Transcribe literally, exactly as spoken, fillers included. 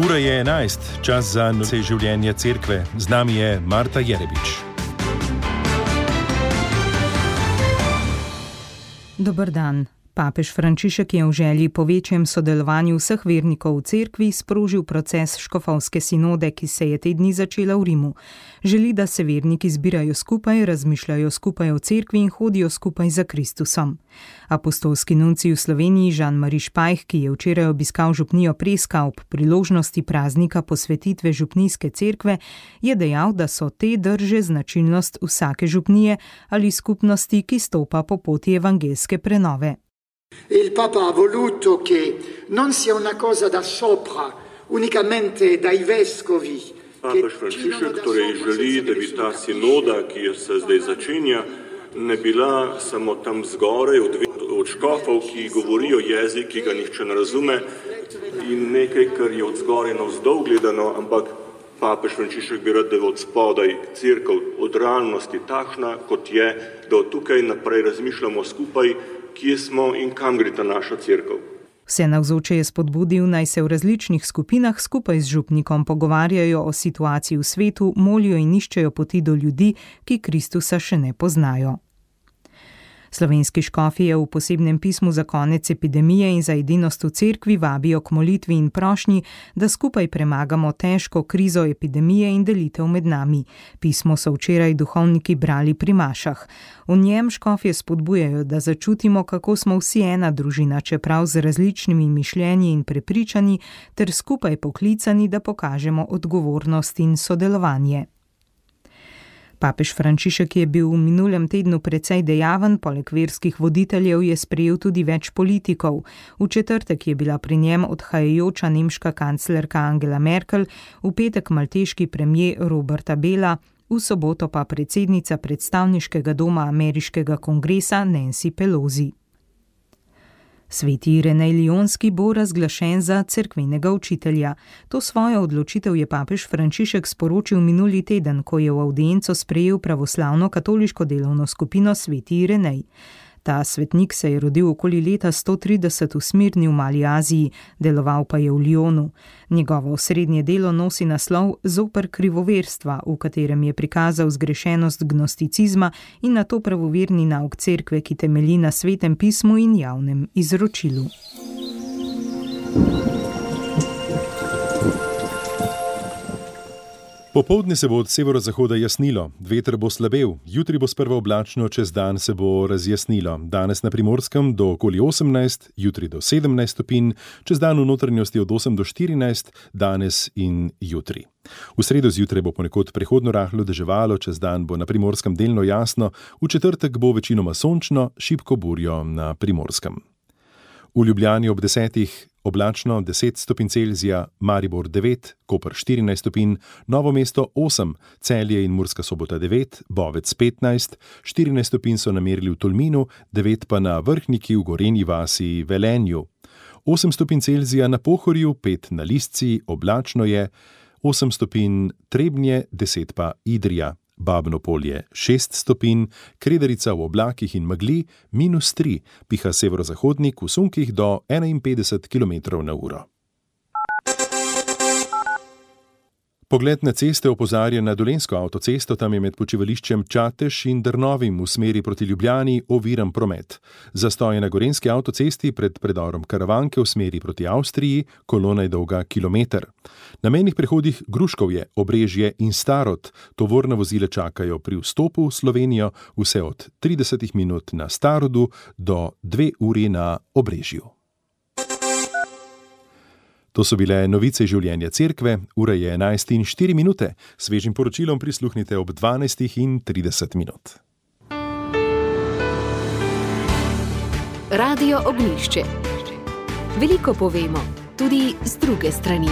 Ura je enajst, čas za novice življenja cerkve. Z nami je Marta Jerebič. Dober dan. Papež Frančišek je v želji po večjem sodelovanju vseh vernikov v cerkvi sprožil proces škofovske sinode, ki se je te dni začela v Rimu. Želi, da se verniki zbirajo skupaj, razmišljajo skupaj o cerkvi in hodijo skupaj za Kristusom. Apostolski nuncij v Sloveniji Jean-Marie Špajh, ki je včeraj obiskal župnijo Preska ob priložnosti praznika posvetitve župnijske cerkve, je dejal, da so te drže značilnost vsake župnije ali skupnosti, ki stopa po poti evangelske prenove. Il Papa ha voluto che non sia una cosa da sopra, unicamente dai vescovi. Papež Frančišek torej želi, da bi ta sinoda, ki se zdaj začenja, ne bila samo tam zgoraj od, od škofov, ki govorijo jezik, ki ga nihče ne razume, in nekaj, kar je od zgoraj navzdol gledano, ampak Papež Frančišek bi rad, da je od spodaj cerkev od realnosti takšna, kot je, da od tukaj naprej razmišljamo skupaj, kje smo in kam gre ta naša cerkev. Vse navzoče je spodbudil, naj se v različnih skupinah skupaj z župnikom pogovarjajo o situaciji v svetu, molijo in iščejo poti do ljudi, ki Kristusa še ne poznajo. Slovenski škofje v posebnem pismu za konec epidemije in za edinost v cerkvi vabijo k molitvi in prošnji, da skupaj premagamo težko krizo epidemije in delitev med nami. Pismo so včeraj duhovniki brali pri mašah. V njem škofje spodbujajo, da začutimo, kako smo vsi ena družina, čeprav z različnimi mišljenji in prepričanji, ter skupaj poklicani, da pokažemo odgovornost in sodelovanje. Papež Frančišek je bil v minulem tednu precej dejaven, poleg verskih voditeljev je sprejel tudi več politikov. V četrtek je bila pri njem odhajajoča nemška kanclerka Angela Merkel, v petek malteški premier Roberta Bela, v soboto pa predsednica predstavniškega doma ameriškega kongresa Nancy Pelosi. Sveti Irenej Lionski bo razglašen za cerkvenega učitelja. To svojo odločitev je papež Frančišek sporočil minuli teden, ko je v avdienco sprejel pravoslavno katoliško delovno skupino Sveti Irenej. Ta svetnik se je rodil okoli leta sto trideset v Smirni v Mali Aziji, deloval pa je v Lyonu. Njegovo osrednje delo nosi naslov Zoper krivoverstva, v katerem je prikazal zgrešenost gnosticizma in nato pravoverni nauk cerkve, ki temelji na svetem pismu in javnem izročilu. Popoldne se bo od severozahoda jasnilo, veter bo slabel, jutri bo sprva oblačno, čez dan se bo razjasnilo. Danes na Primorskem do okoli osemnajst, jutri do sedemnajst stopinj, čez dan v notranjosti od osem do štirinajst, danes in jutri. V sredo zjutraj bo ponekod prehodno rahlo deževalo, čez dan bo na Primorskem delno jasno, v četrtek bo večinoma sončno, šibko burjo na Primorskem. V Ljubljani ob desetih oblačno deset stopinj Celzija, Maribor devet, Koper štirinajst stopinj, Novo mesto osem, Celje in Murska Sobota devet, Bovec petnajst, štirinajst stopinj so namerili v Tolminu, devet pa na Vrhniki v Gorenji vasi Velenju. osem stopinj Celzija na Pohorju, pet na Listci, oblačno je, osem stopinj Trebnje, deset pa Idrija. Babno Polje šest stopinj, Kredarica v oblakih in megli minus tri, piha severozahodnik v sunkih do enainpetdeset kilometrov na uro. Pogled na ceste opozarja na Dolenjsko avtocesto, tam je med počivališčem Čatež in Drnovim v smeri proti Ljubljani oviran promet. Zastoj je na gorenjski avtocesti pred predorom Karavanke v smeri proti Avstriji, kolona je dolga kilometer. Na mejnih prehodih Gruškovje, Obrežje in Starod tovorna vozila čakajo pri vstopu v Slovenijo vse od trideset minut na Starodu do dve uri na Obrežju. To so bile novice življenja cerkve, ura je enajst in štiri minute, svežim poročilom prisluhnite ob dvanajst in trideset minut. Radio Ognjišče. Veliko povemo, tudi z druge strani.